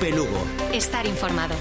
Cope Lugo. Estar informado.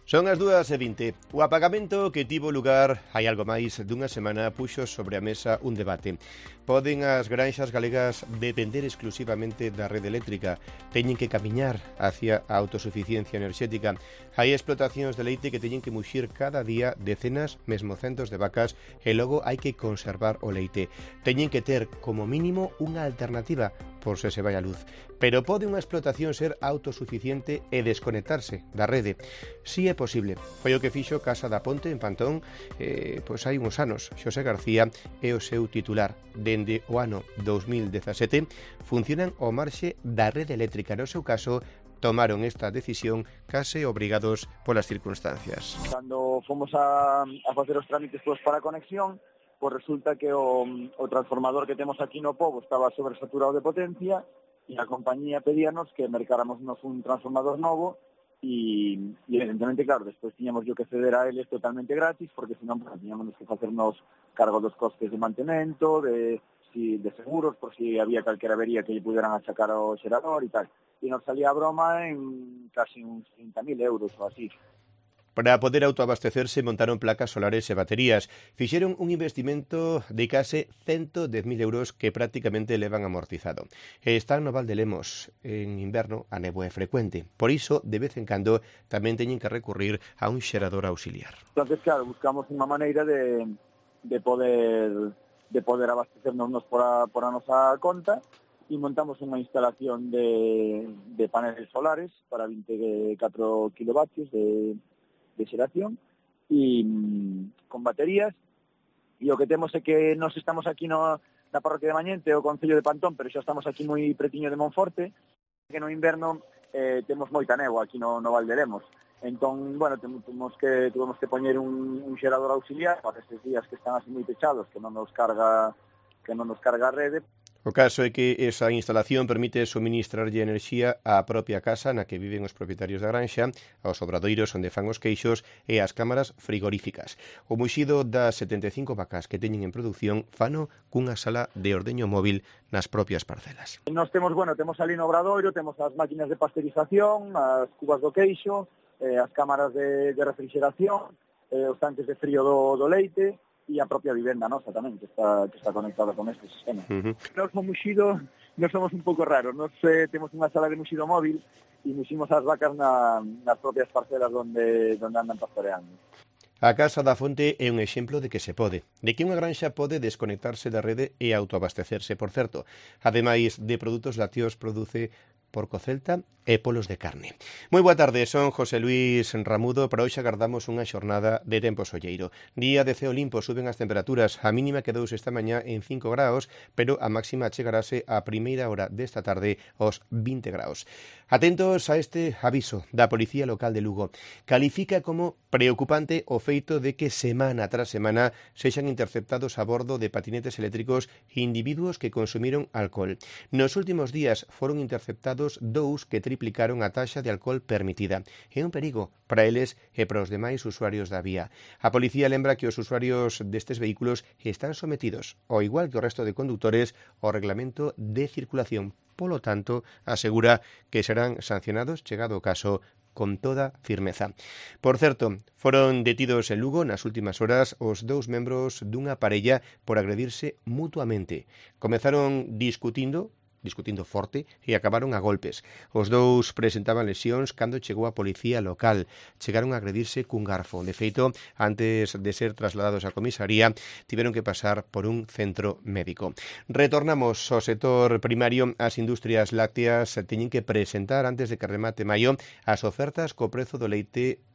Son as 2:20. O apagamento que tivo lugar hai algo máis dunha semana puxo sobre a mesa un debate. Poden as granxas galegas depender exclusivamente da rede eléctrica? Teñen que camiñar hacia a autosuficiencia enerxética? Hai explotacións de leite que teñen que muxir cada día decenas, mesmo centos de vacas e logo hai que conservar o leite. Teñen que ter, como mínimo, unha alternativa por se vai a luz. Pero pode unha explotación ser autosuficiente e desconectarse da rede? Si é posible. Foi o que fixo Casa da Ponte en Pantón pois hai uns anos. Xosé García é o seu titular. Dende o ano 2017 funcionan ao marxe da rede eléctrica. No seu caso, tomaron esta decisión case obrigados polas circunstancias. Cando fomos a facer os trámites para a conexión, pois resulta que o transformador que temos aquí no Pobo estaba sobresaturado de potencia e a compañía pedíanos que mercáramos un transformador novo e evidentemente, claro, despois tiñamos que ceder a eles totalmente gratis porque senón tiñamos que facernos cargo dos costes de mantemento, de seguros, por si había calquera avería que lle puderan achacar ao xerador e tal. E nos salía a broma en casi uns 30.000 euros ou así. Para poder autoabastecerse montaron placas solares e baterías. Fixeron un investimento de case 110.000 euros que prácticamente levan amortizado. E están no Val de Lemos. En inverno a néboa é frecuente. Por iso, de vez en cando, tamén teñen que recurrir a un xerador auxiliar. Entonces, claro, buscamos unha maneira de poder abastecernos por a nosa conta e montamos unha instalación de paneles solares para 24 kilovatios de xeración e con baterías, e o que temos é que nos estamos aquí na parroquia de Mañente, o concello de Pantón, pero xa estamos aquí moi pretiño de Monforte, que no inverno temos moita néboa aquí no Val de Lemos. Entón, bueno, tuvemos que poñer un xerador auxiliar para estes días que están así moi pechados, que non nos carga a rede. O caso é que esa instalación permite suministrarlle enerxía á propia casa na que viven os propietarios da granxa, aos obradoiros onde fan os queixos e ás cámaras frigoríficas. O muxido das 75 vacas que teñen en produción fano cunha sala de ordeño móvil nas propias parcelas. Nos temos ali no obradoiro, temos as máquinas de pasteurización, as cubas do queixo, as cámaras de refrigeración, os tanques de frío do leite, e a propia vivenda nosa tamén, que está conectada con este sistema. Nos no muxido, nos somos un pouco raros. Nos temos unha sala de muxido móvil e muximos as vacas nas propias parcelas onde andan pastoreando. A Casa da Fonte é un exemplo de que se pode, de que unha granxa pode desconectarse da rede e autoabastecerse, por certo. Ademais de produtos lácteos, produce porco celta e polos de carne. Moi boa tarde, son José Luis Ramudo. Para hoxe agardamos unha xornada de tempo solleiro. Día de ceo limpo, suben as temperaturas. A mínima quedouse esta mañá en 5 graus, pero a máxima chegarase a primeira hora desta tarde aos 20 graus. Atentos a este aviso da Policía Local de Lugo. Califica como preocupante o feito de que semana tras semana sexan interceptados a bordo de patinetes eléctricos individuos que consumiron alcohol. Nos últimos días foron interceptados 2 que triplicaron a taxa de alcohol permitida. É un perigo para eles e para os demais usuarios da vía. A policía lembra que os usuarios destes vehículos están sometidos, ao igual que o resto de condutores, ao reglamento de circulación. Polo tanto, asegura que serán sancionados, chegado o caso, con toda firmeza. Por certo, foron detidos en Lugo nas últimas horas os 2 membros dunha parella por agredirse mutuamente. Comezaron discutindo forte e acabaron a golpes. Os 2 presentaban lesións cando chegou a policía local. Chegaron a agredirse cun garfo. De feito, antes de ser trasladados á comisaría, tiveron que pasar por un centro médico. Retornamos ao sector primario. As industrias lácteas teñen que presentar antes de que remate maio as ofertas co prezo do leite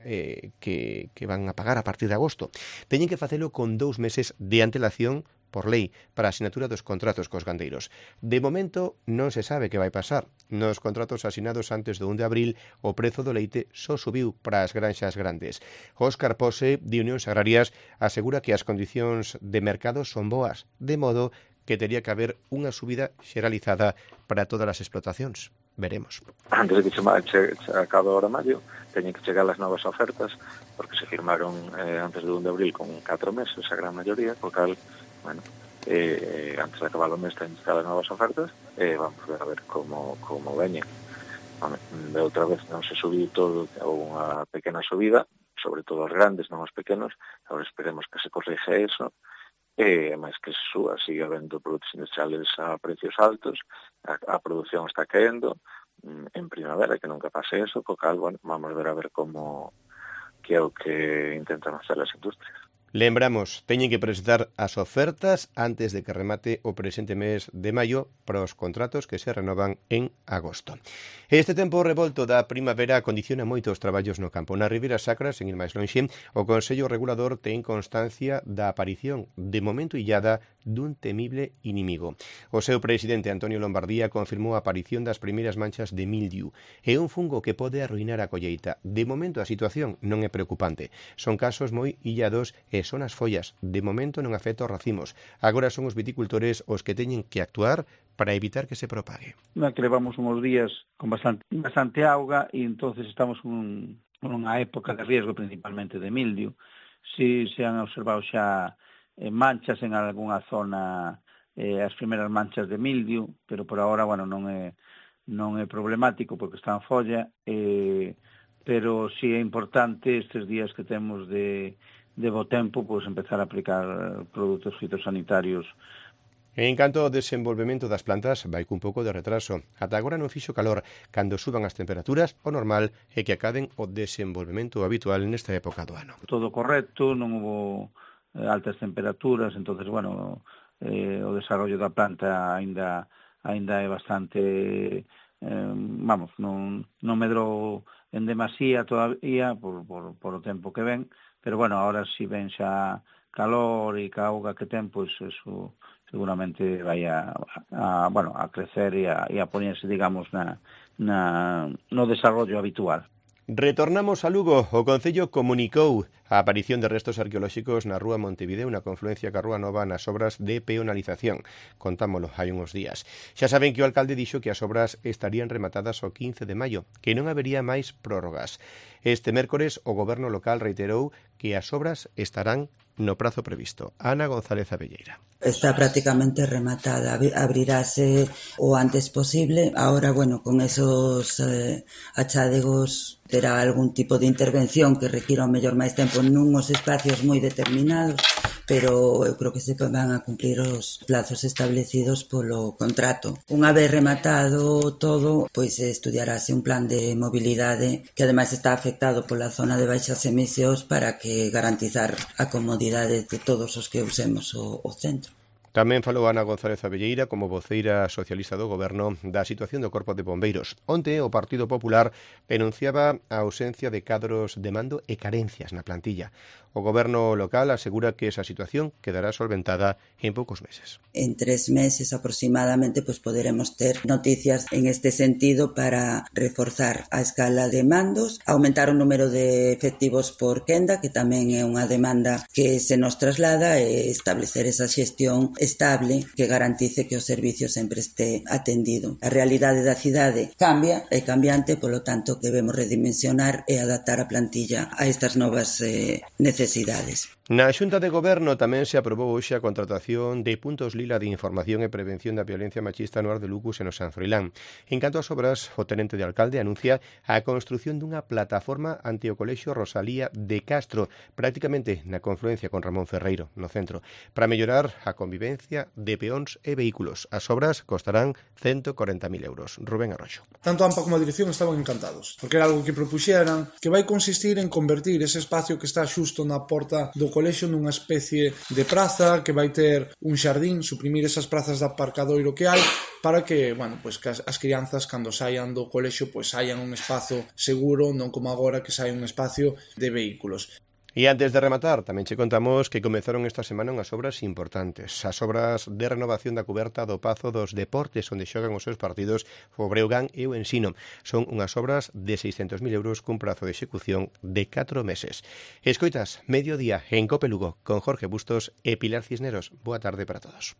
que van a pagar a partir de agosto. Teñen que facelo con 2 meses de antelación por lei para a asinatura dos contratos cos gandeiros. De momento non se sabe que vai pasar. Nos contratos asinados antes do 1 de abril, o prezo do leite só subiu para as granxas grandes. Óscar Pose, de Unións Agrarias, asegura que as condicións de mercado son boas, de modo que tería que haber unha subida xeralizada para todas as explotacións. Veremos. Antes de que se acabe ahora maio, teñen que chegar as novas ofertas, porque se firmaron antes do 1 de abril con 4 meses, a gran maioría, co cal, bueno, antes de acabar o mes teñen cada novas ofertas e vamos ver a ver como veñen. De outra vez non se subiu todo, ou unha pequena subida, sobre todo os grandes, non os pequenos. Agora esperemos que se corrige eso, e máis que se suba, sigue habendo produtos industriales a precios altos, a produción está caendo en primavera, que nunca pase eso, co cal, bueno, vamos ver a ver como que é o que intentan hacer as industrias. Lembramos, teñen que presentar as ofertas antes de que remate o presente mes de maio para os contratos que se renovan en agosto. Este tempo revolto da primavera condiciona moito os traballos no campo. Na Ribeira Sacra, sen ir máis lonxe, o Consello Regulador ten constancia da aparición, de momento illada, dun temible inimigo. O seu presidente, Antonio Lombardía, confirmou a aparición das primeiras manchas de mildiu. É un fungo que pode arruinar a colleita. De momento a situación non é preocupante. Son casos moi illados e son as follas. De momento non afecta os racimos. Agora son os viticultores os que teñen que actuar para evitar que se propague. Que levamos uns días con bastante auga e entonces estamos nunha época de riesgo principalmente de mildiu. Si se han observado xa manchas en algunha zona, as primeiras manchas de mildiu, pero por agora, bueno, non é problemático porque está en folla, pero si é importante estes días que temos de bo tempo, pois empezar a aplicar produtos fitosanitarios. En canto ao desenvolvemento das plantas, vai cun pouco de retraso. Ata agora non fixo calor. Cando suban as temperaturas, o normal é que acaden o desenvolvemento habitual nesta época do ano. Todo correcto, non hubo altas temperaturas, entonces, bueno, o desarrollo da planta aínda é bastante, non medrou en demasía todavía por o tempo que ven, pero, bueno, ahora si ven xa calor e ca auga que ten, pois eso seguramente vai a crecer e a ponerse, digamos, no desarrollo habitual. Retornamos a Lugo. O Concello comunicou a aparición de restos arqueolóxicos na Rúa Montevideo, na confluencia ca Rúa Nova, nas obras de peonalización. Contámolo hai uns días. Xa saben que o alcalde dixo que as obras estarían rematadas o 15 de maio, que non habería máis prórrogas. Este mércores o goberno local reiterou que as obras estarán no prazo previsto. Ana González Abelleira. Está prácticamente rematada, abrirase o antes posible. Ahora, bueno, con esos achádegos terá algún tipo de intervención que requira o mellor máis tempo nuns espacios moi determinados, pero eu creo que se van a cumplir os plazos establecidos polo contrato. Unha vez rematado todo, pois estudiarase un plan de mobilidade que ademais está afectado pola zona de baixas emisións para que garantizar a comodidade de todos os que usemos o centro. Tamén falou Ana González Abelleira como voceira socialista do Goberno da situación do Corpo de Bombeiros. Onte o Partido Popular denunciaba a ausencia de cadros de mando e carencias na plantilla. O Goberno local asegura que esa situación quedará solventada en poucos meses. En 3 meses aproximadamente pues poderemos ter noticias en este sentido para reforzar a escala de mandos, aumentar o número de efectivos por quenda, que tamén é unha demanda que se nos traslada, e establecer esa xestión estable que garantice que o servicio sempre este atendido. A realidade da cidade cambia, é cambiante, polo tanto debemos redimensionar e adaptar a plantilla a estas novas necesidades. Na Xunta de Goberno tamén se aprobou hoxe a contratación de puntos lila de información e prevención da violencia machista no Ar de Lucus e no San Froilán. En canto ás obras, o tenente de alcalde anuncia a construción dunha plataforma ante o Colexio Rosalía de Castro, prácticamente na confluencia con Ramón Ferreiro, no centro, para mellorar a convivencia de peóns e vehículos. As obras costarán 140.000 euros. Rubén Arroxo. Tanto AMPA como a dirección estaban encantados, porque era algo que propuxeran, que vai consistir en convertir ese espacio que está xusto na porta do colexio nunha especie de praza que vai ter un xardín, suprimir esas prazas de aparcadoiro que hai para que, bueno, pues que as crianzas cando saian do colexio pues saian un espazo seguro, non como agora que sai un espacio de vehículos. E antes de rematar, tamén che contamos que comezaron esta semana unhas obras importantes. As obras de renovación da cuberta do Pazo dos Deportes, onde xogan os seus partidos o Breogán e o Ensino. Son unhas obras de 600.000 euros cun prazo de execución de 4 meses. Escoitas, mediodía en Cope Lugo, con Jorge Bustos e Pilar Cisneros. Boa tarde para todos.